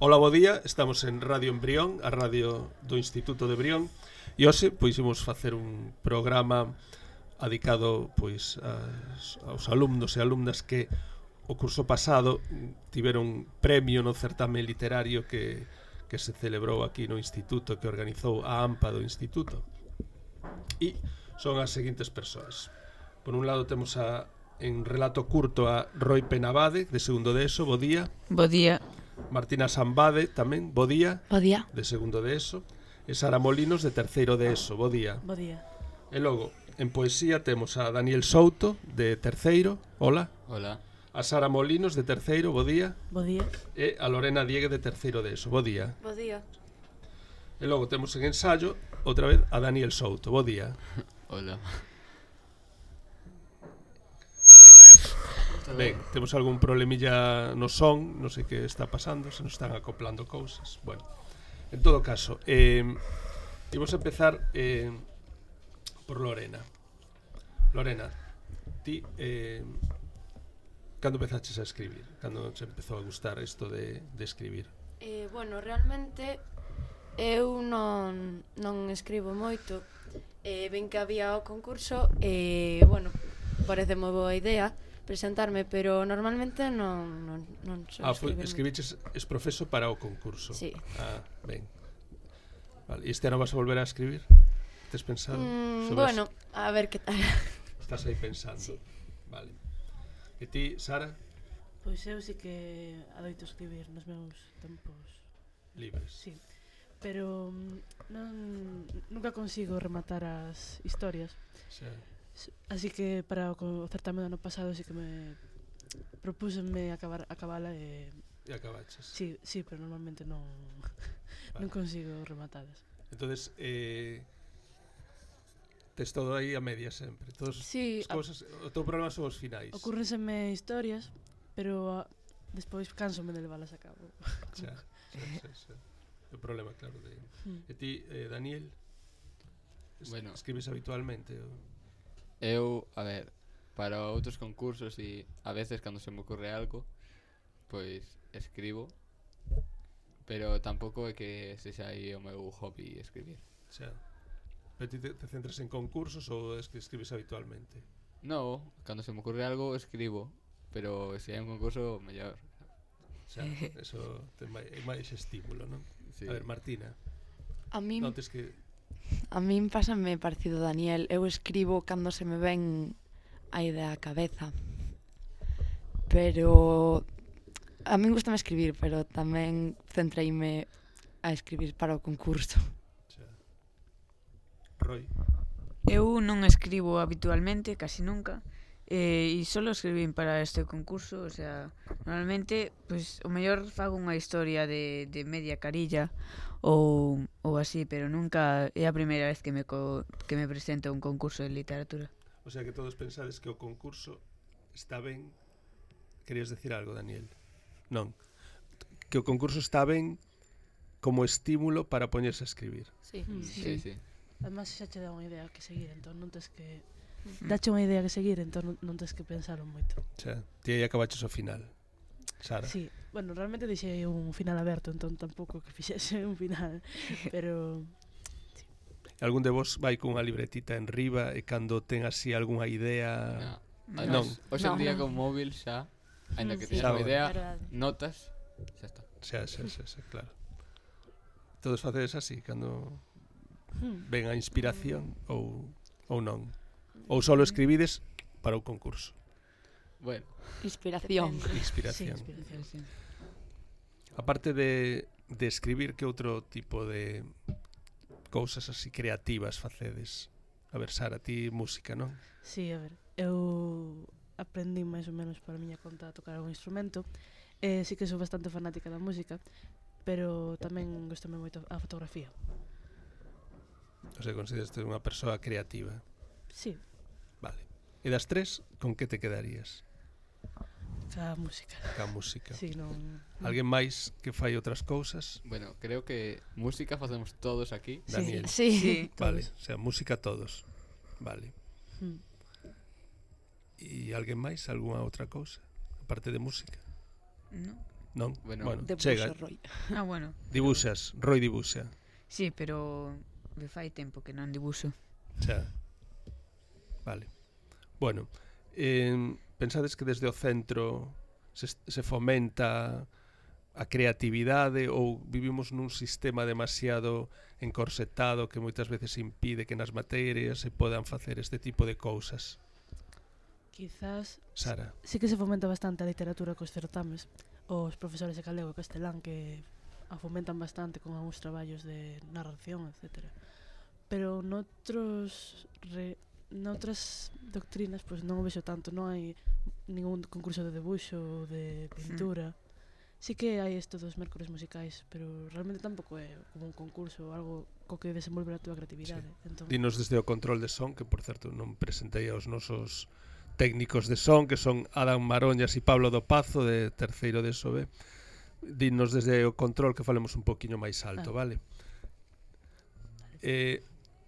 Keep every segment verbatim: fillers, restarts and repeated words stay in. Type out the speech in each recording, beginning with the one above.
Ola, bo día, estamos en Radio Embrión, a radio do Instituto de Brión, e hoxe pois imos facer un programa dedicado pois aos, aos alumnos e alumnas que o curso pasado tiveron premio no certame literario que, que se celebrou aquí no Instituto, que organizou a AMPA do Instituto. E son as seguintes persoas. Por un lado temos a, en relato curto, a Roi Penabade, de segundo de ESO, bo día. Bo día. Martina Sambade, tamén, bo día. Bo día. De segundo de ESO. E Sara Molinos, de terceiro de ESO, bo día. Bo día. E logo, en poesía temos a Daniel Souto, de terceiro, hola. Hola. A Sara Molinos, de terceiro, bo día. Bo día. E a Lorena Diegue, de terceiro de ESO, bo día. Bo día. E logo temos en ensayo, outra vez, a Daniel Souto, bo día. Hola. Ben, temos algún problemilla no son, non sei que está pasando, se nos están acoplando cousas. Bueno, en todo caso, eh, imos empezar eh, por Lorena. Lorena, ti, eh, cando empezaches a escribir? Cando se empezou a gustar isto de, de escribir? Eh, bueno, realmente eu non, non escribo moito. Eh, ven que había o concurso e, bueno, parece moi boa idea presentarme, pero normalmente non, non, non sou Ah, foi, escribir escribiches es profeso para o concurso. Sí. Ah, ben. Vale, e este ano vas a volver a escribir? Tes pensado? mm, sobre Bueno, eso? a ver que tal. Estás aí pensando. Sí. Vale. E ti, Sara? Pois eu sí que adoito escribir nos meus tempos Libres. sí. Pero mm, non, nunca consigo rematar as historias. Xa. Así que para o, co- o certame do ano pasado sí que me propúsenme acabar acabala e E acabaches. sí, sí, pero normalmente non Vale. non consigo rematadas. Entonces, eh, tes todo aí a media sempre. Todos Sí, as cousas, o teu problema son os finais. Ocúrrenseme historias, pero ah, despois cánsome de levalas a cabo. Xa, xa, xa, xa. O problema, claro, de... Mm. E ti, eh, Daniel? Es, Bueno. Escribes habitualmente? O... Eu, a ver, para outros concursos e a veces cando se me ocurre algo, pois escribo, pero tampouco é que sexa aí o meu hobby escribir. Xa. Pero ti te, te centras en concursos ou es que escribes habitualmente? No, cando se me ocurre algo escribo, pero se hai un concurso, mellor. Xa, eso ten máis, máis estímulo, non? Sí. A ver, Martina, A min, notes que... a min pásame parecido Daniel. Eu escribo cando se me ven a idea á cabeza. Pero a min gustame escribir, pero tamén centreime a escribir para o concurso. Xa. Roy? Eu non escribo habitualmente, casi nunca, eh, e solo escribín para este concurso, o sea, normalmente, pois, o mellor fago unha historia de, de media carilla ou, ou así, pero nunca é a primeira vez que me, co, que me presento a un concurso de literatura. O sea que todos pensades que o concurso está ben. Querías decir algo, Daniel? Non. Que o concurso está ben como estímulo para poñerse a escribir. Sí. Mm. Sí, sí. Además xa che dá unha idea que seguir, entón non tes que dache unha idea que seguir, entón non, non tes que pensalo moito. Xa, ti aí acabaches o final. Sara? Sí, bueno, realmente deixei un final aberto, entón tampouco que fixese un final, pero Algún de vos vai cunha libretita en riba e cando ten así algunha idea... No. No. Además, hoxe en No. día con móvil xa, aínda que Sí. teñas Xa, unha idea, verdade. notas, xa está. Xa, xa, xa, xa, claro. Todos facedes así, cando hmm, ven a inspiración ou, ou non. Ou solo escribides para o concurso. Bueno, Inspiración. depende. Inspiración. Sí, inspiración. Aparte de, de escribir, que outro tipo de cousas así creativas facedes? A ver, Sara, ti música, non? Sí, a ver, eu aprendí máis ou menos para a miña conta a tocar algún instrumento. Eh, sí que sou bastante fanática da música, pero tamén gostame moito a fotografía. O sea, consideras unha persoa creativa. Sí, Vale. E das tres, con que te quedarías? a música. Ca música. Sí, non... Alguén máis que fai outras cousas? bueno, creo que música facemos todos aquí. Sí. Daniel. Sí. Sí. Vale, o sea, música todos. Vale. Hmm. E alguén máis? Algúna outra cousa? Aparte de música? No. Non? Bueno, De chega, Buxo, Roy. Ah, bueno. dibuxas, Roy dibuxa. Sí, pero me fai tempo que non dibuxo. Xa. Vale. Bueno, eh, pensades que desde o centro se, se fomenta a creatividade ou vivimos nun sistema demasiado encorsetado que moitas veces impide que nas materias se podan facer este tipo de cousas? Quizás Sara. sí que se fomenta bastante a literatura cos certames. Os profesores de galego e castelán que a fomentan bastante con algúns traballos de narración, etcétera. Pero noutros re, noutras doctrinas pois non o vexo tanto, non hai ningún concurso de debuxo ou de pintura. Sí que hai isto dos mércores musicais, pero realmente tampouco é como un concurso ou algo co que desenvolver a túa creatividade. Sí. Entón, Dinos desde o control de son, que por certo non presentei aos nosos técnicos de son, que son Adam Maroñas e Pablo do Pazo, de terceiro de S O B. Dinos desde o control que falemos un poquinho máis alto, Ah. vale? Eh,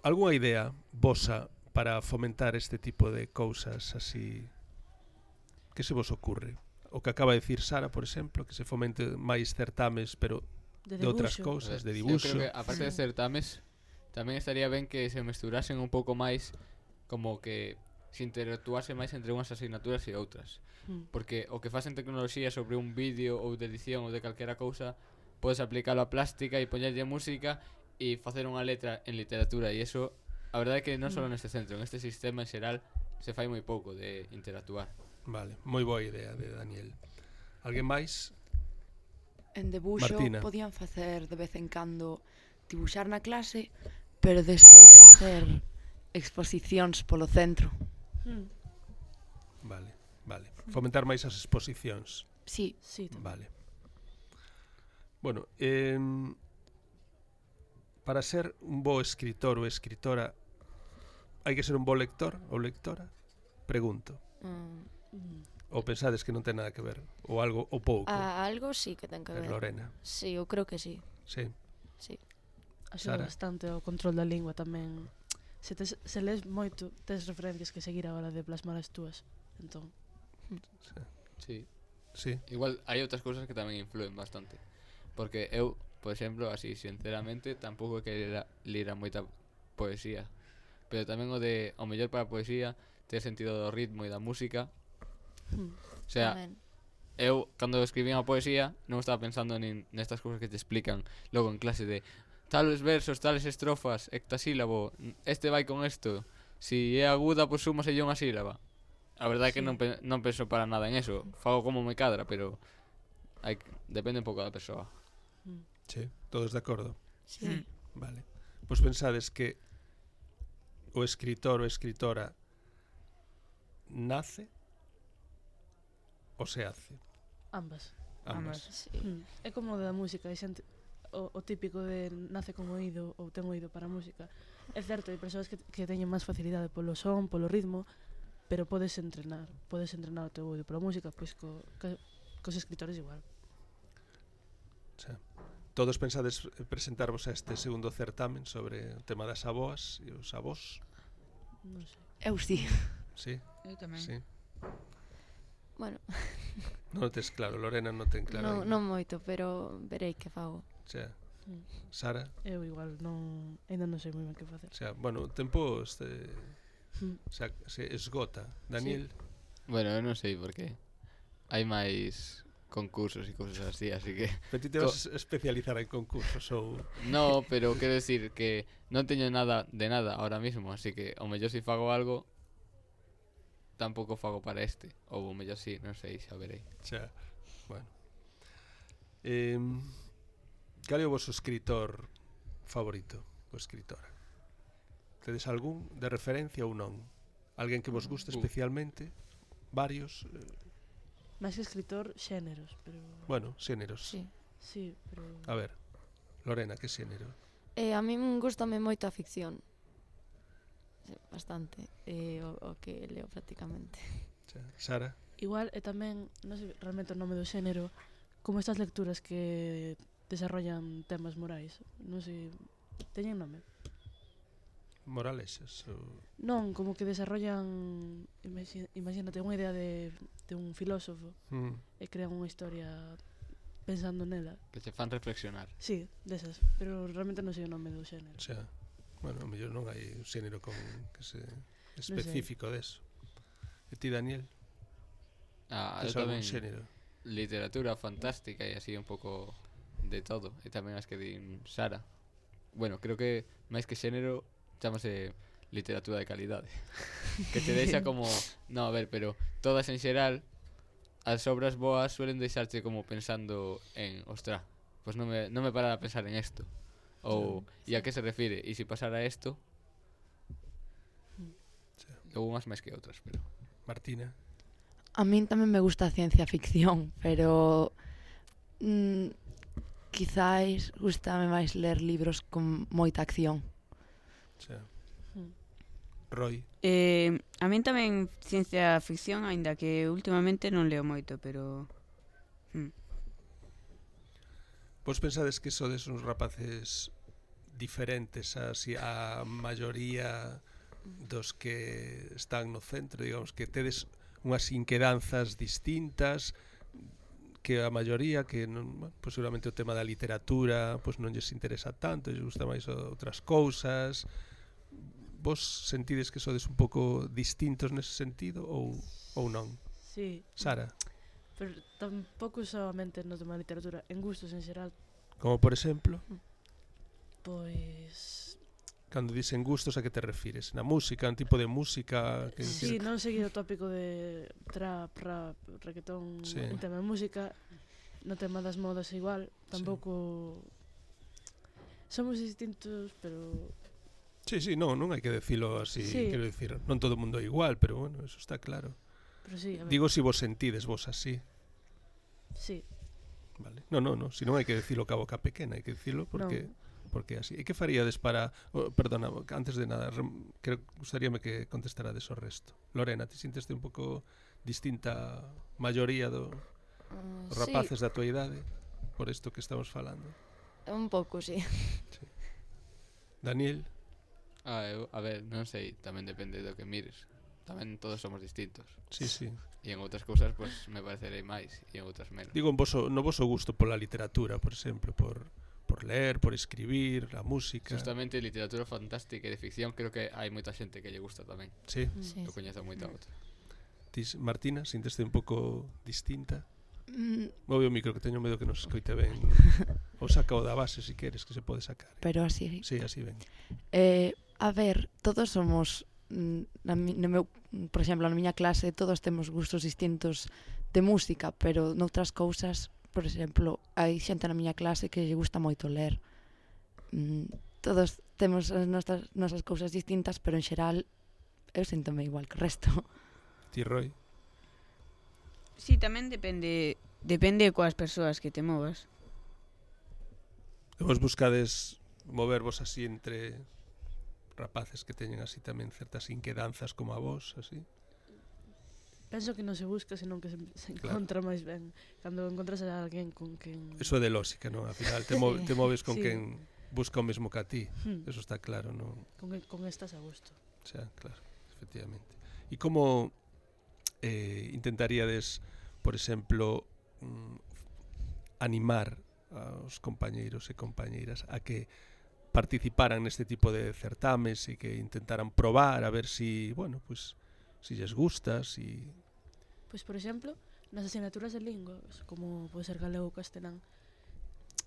algunha idea vosa para fomentar este tipo de cousas así? Que se vos ocurre? O que acaba de decir Sara, por exemplo, que se fomente máis certames, pero de, de outras debuxo, cousas, de Eu dibuxo. creo que, aparte de certames, tamén estaría ben que se mesturasen un pouco máis, como que se interactuase máis entre unhas asignaturas e outras. Mm. Porque o que faz en tecnoloxía sobre un vídeo ou de edición ou de calquera cousa, podes aplicalo a plástica e poñerlle música e facer unha letra en literatura, e eso, a verdade é que non só neste centro, en este sistema en xeral se fai moi pouco de interactuar. Vale, moi boa idea de Daniel. Alguén máis? En debuxo Martina. podían facer de vez en cando dibuxar na clase, pero despois facer exposicións polo centro. Mm. Vale, vale. Fomentar máis as exposicións. Sí, Sí, tamén. Vale. Bueno, eh, para ser un bo escritor ou escritora hai que ser un bo lector ou lectora? Pregunto. Mm. Mm. Ou pensades que non ten nada que ver? Ou algo, ou pouco? Ah, algo sí que ten que Eh, ver. Lorena, Sí, eu creo que sí. sí. Sí. Axuda Sara. bastante o control da lingua tamén. Se, tes, se lees moito, tes referencias que seguir a hora de plasmar as túas. Entón, Sí. Sí, Igual hai outras cousas que tamén influen bastante. Porque eu, por exemplo, así sinceramente, tampouco é que lera, lera moita poesía. Pero tamén o de o mellor para a poesía ter sentido do ritmo e da música. mm. O sea, Tamén. eu cando escribía a poesía non estaba pensando nin nestas cousas que te explican logo en clase de tales versos, tales estrofas, hectasílabo, este vai con esto. Si é aguda, pois súmaselle unha sílaba. A verdade é que Sí. non, pe non penso para nada en eso. Fago como me cadra, pero hai, que- depende un pouco da persoa. sí. Todos de acordo? Sí. Mm. Vale. Pois pensades que o escritor ou escritora nace ou se hace? Ambas. Ambas. Sí. Mm. É como da música, hai xente o, o típico de nace con oído ou ten oído para a música. É certo, hai persoas que, que teñen máis facilidade polo son, polo ritmo, pero podes entrenar, podes entrenar o teu oído pola música, pois co, co, cos escritores igual. Xa. Todos pensades presentarvos a este segundo certamen sobre o tema das aboas e os avós? Non sei. eu sí. Sí, Eu tamén. sí. Bueno, Non o tes claro, Lorena non ten claro. non, aínda. non moito, pero verei que fago. Xa. Mm. Sara, Eu igual non, ainda non sei moi ben que facer. xa, bueno, o tempo este, Mm. xa, se esgota. Daniel, Bueno, eu non sei porque hai máis concursos e cousas así, así que pero ti te vas a especializar en concursos ou... no, pero quero decir que non teño nada de nada ahora mismo, así que o mellor si fago algo tampouco fago para este, ou o mellor si, non sei, xa verei. Xa, bueno. Eh, cal é o vosso escritor favorito ou escritora? Tedes algún de referencia ou non? Alguén que vos guste Uh. especialmente? Varios? Eh, Máis que escritor, xéneros, pero... bueno, xéneros. Sí. Sí, pero... A ver, Lorena, que xénero? Eh, a min gustame moito a ficción. Sí, bastante. Eh, o, o que leo prácticamente. Xa, Sara? Igual, e tamén, non sei realmente o nome do xénero, como estas lecturas que desarrollan temas morais. Non sei, teñen nome? Moralexas? Ou... Non, como que desarrollan, imagi- imagínate, unha idea de, de un filósofo Mm, e crean unha historia pensando nela. Que che fan reflexionar. Sí, desas, pero realmente non sei o nome do xénero. O sea, bueno, a mellor non hai un xénero con que se específico deso. E ti, Daniel? Ah, Tes eu algún tamén xénero? literatura fantástica e así un pouco de todo. E tamén as que din Sara. Bueno, creo que máis que xénero chamase literatura de calidade. Que te deixa como, no, a ver, pero todas en xeral as obras boas suelen deixarte como pensando en, ostra, pues non me, non me parara a pensar en esto. Ou, e a que se refire? E se pasara esto? Ou unhas máis que outras, pero... Martina? A min tamén me gusta a ciencia ficción, pero mm, quizáis gustame máis ler libros con moita acción. O sea, Mm. Roy? Eh, a min tamén ciencia ficción, aínda que últimamente non leo moito, pero... Mm. Vos pensades que sodes uns rapaces diferentes así a maioría dos que están no centro, digamos, que tedes unhas inquedanzas distintas que a maioría que non, bueno, pues seguramente o tema da literatura pues non lles interesa tanto, lles gusta máis outras cousas. Vos sentides que sodes un pouco distintos nese sentido ou, ou non? Sí, Sara? pero tampouco solamente no tema de literatura, en gustos en xeral, Como por exemplo, pois... cando dicen gustos a que te refires? Na música, un tipo de música que Sí, non seguir o tópico de trap, rap, reggaetón, Sí. un tema de música, no tema das modas igual, tampouco... Somos distintos, pero... Sí, sí, non, non hai que decilo así, Sí. quero dicir, non todo o mundo é igual, pero bueno, eso está claro. pero sí, a ver, Digo si vos sentides vos así, sí, vale? Non, non, non, si non hai que decilo ca boca pequena, hai que decilo porque porque así. E que faríades para, oh, perdona, antes de nada, rem, creo gustaríame que contestarades o resto. Lorena, ti sinteste un pouco distinta a maioría do Uh, os rapaces da tua idade por isto que estamos falando? Sí, un pouco, sí. Daniel? Ah, eu, a ver, non sei, tamén depende do que mires. Tamén todos somos distintos. Sí, sí. E en outras cousas, pues, me parecerei máis, e en outras menos. Digo en voso, no voso gusto pola literatura, por exemplo, por, por ler, por escribir, a música. Justamente literatura fantástica e de ficción creo que hai moita xente que lle gusta tamén. Sí. Sí. Eu coñezo moita outra. Tis, Martina, sinteste un pouco distinta? Mm, Move o micro que teño medo que nos escoite ben. Ou saca o da base se queres, que se pode sacar. pero así... Sí, así ben. Eh, a ver, todos somos... mm, Na, mi- no meu, por exemplo, na miña clase todos temos gustos distintos de música, pero noutras cousas, por exemplo, hai xente na miña clase que lle gusta moito ler. Mm, todos temos as nosas, nosas cousas distintas, pero en xeral eu síntome igual que o resto. Ti, Roy? Sí, tamén depende depende coas persoas que te movas. E vos buscades movervos así entre rapaces que teñen así tamén certas inquedanzas como a vos, así? penso que non se busca, senón que se, se Claro. encontra máis ben. Cando encontras a alguén con quen... Eso é de lógica, non? Al final te, mo te moves con Sí. quen busca o mesmo que a ti. Hmm, Eso está claro, non? con, con estás a gusto. O sea, claro, efectivamente. E como eh, intentaríades, por exemplo, mm, animar aos compañeiros e compañeiras a que participaran neste tipo de certames e que intentaran probar a ver si, bueno, pues si lles gusta, si... Pois, por exemplo, nas asignaturas de linguas, como pode ser galego ou castelán,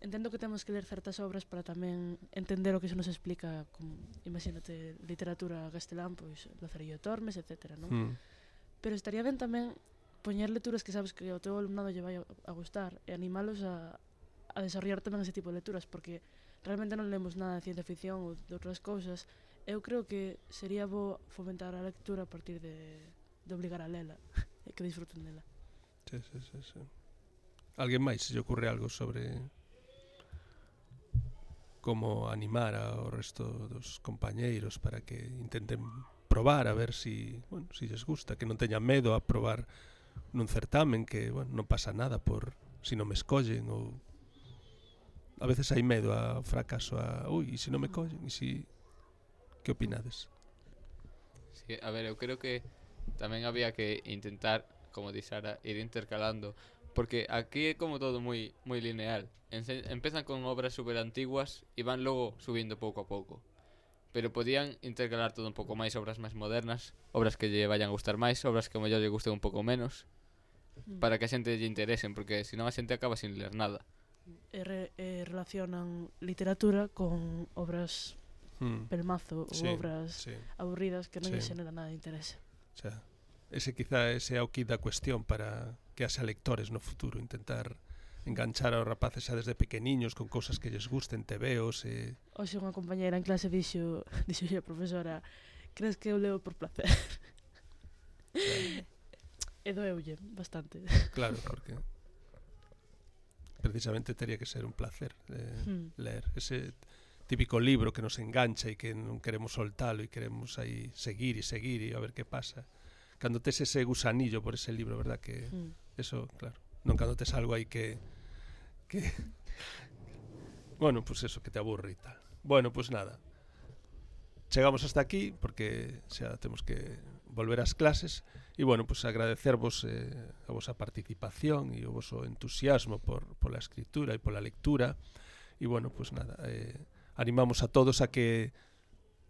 entendo que temos que ler certas obras para tamén entender o que se nos explica, como, imagínate, literatura castelán, pois, Lazarillo Tormes, etcétera, non? Mm, Pero estaría ben tamén poñer lecturas que sabes que ao teu alumnado lle vai a, a gustar e animalos a, a desarrollar tamén ese tipo de lecturas, porque realmente non lemos nada de ciencia ficción ou de outras cousas. Eu creo que sería bo fomentar a lectura a partir de, de obligar a lela e que disfruten dela. sí, sí, sí, sí. Alguén máis se lle ocurre algo sobre como animar ao resto dos compañeiros para que intenten probar a ver si, bueno, si lles gusta, que non teñan medo a probar nun certamen, que, bueno, non pasa nada por si non me escollen ou a veces hai medo ao fracaso, a, ui, e se non me collen, e si... Que opinades? Sí, a ver, eu creo que tamén había que intentar, como di Sara, ir intercalando Porque aquí é como todo moi moi lineal. Ense empezan con obras super antiguas e van logo subindo pouco a pouco. Pero podían intercalar todo un pouco máis, obras máis modernas, obras que lle vayan a gustar máis, obras que ao mellor lle gusten un pouco menos, para que a xente lle interesen, porque senón a xente acaba sin ler nada. E, re, e relacionan literatura con obras Mm. pelmazo Sí, ou obras sí. aburridas que non Sí. lle xenera nada de interese. O sea, ese quizá ese é o kit da cuestión para que haxa lectores no futuro, intentar enganchar aos rapaces xa desde pequeniños con cousas que lles gusten, tebeos e... Hoxe unha compañeira en clase dixo, dixo a profesora, crees que eu leo por placer? E doeulle bastante. Claro, porque precisamente teria que ser un placer eh, Hmm. ler ese típico libro que nos engancha e que non queremos soltalo e queremos aí seguir e seguir e a ver que pasa. Cando tes ese gusanillo por ese libro, verdad que Hmm. eso, claro, non cando tes algo aí que que bueno, pues eso, que te aburre e tal. Bueno, pues nada. Chegamos hasta aquí porque xa temos que volver ás clases e bueno, pues agradecervos eh, a vosa participación e o voso entusiasmo por pola escritura e pola lectura e bueno, pues nada, eh, animamos a todos a que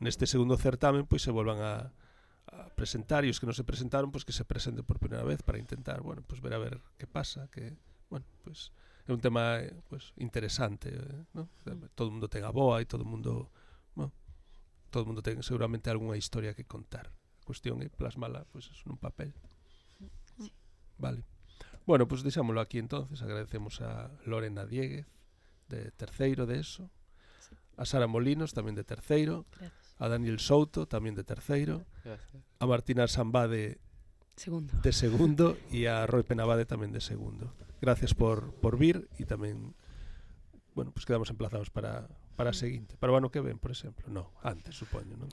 neste segundo certamen pois se volvan a, a presentar e os que non se presentaron pois que se presenten por primeira vez para intentar, bueno, pues ver a ver que pasa, que bueno, pues é un tema eh, pues interesante, eh, ¿no? Todo o mundo ten a boa e todo o mundo, bueno, todo o mundo ten seguramente algunha historia que contar. A cuestión é plasmala pues eso, nun papel. Vale. Bueno, pues deixámoslo aquí entonces. Agradecemos a Lorena Dieguez de terceiro de eso, a Sara Molinos tamén de terceiro, Gracias. a Daniel Souto tamén de terceiro, Gracias. a Martina Sambade Segundo. de segundo e a Roy Penabade tamén de segundo. Gracias por, por vir e tamén, bueno, pues quedamos emplazados para, para a seguinte, para o ano que ven, por exemplo. No, antes, supoño, non?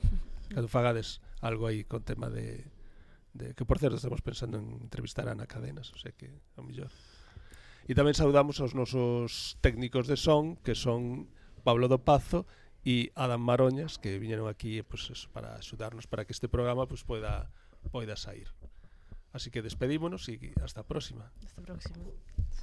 Cando fagades algo aí con tema de, de que, por certo, estamos pensando en entrevistar a Ana Cadenas, o sea que, ao mellor. E tamén saudamos aos nosos técnicos de son, que son Pablo do Pazo e Adam Maroñas, que viñeron aquí pues, eso, para axudarnos para que este programa pues, poida, poida sair. Así que despedímonos e hasta a próxima. Hasta a próxima. Hasta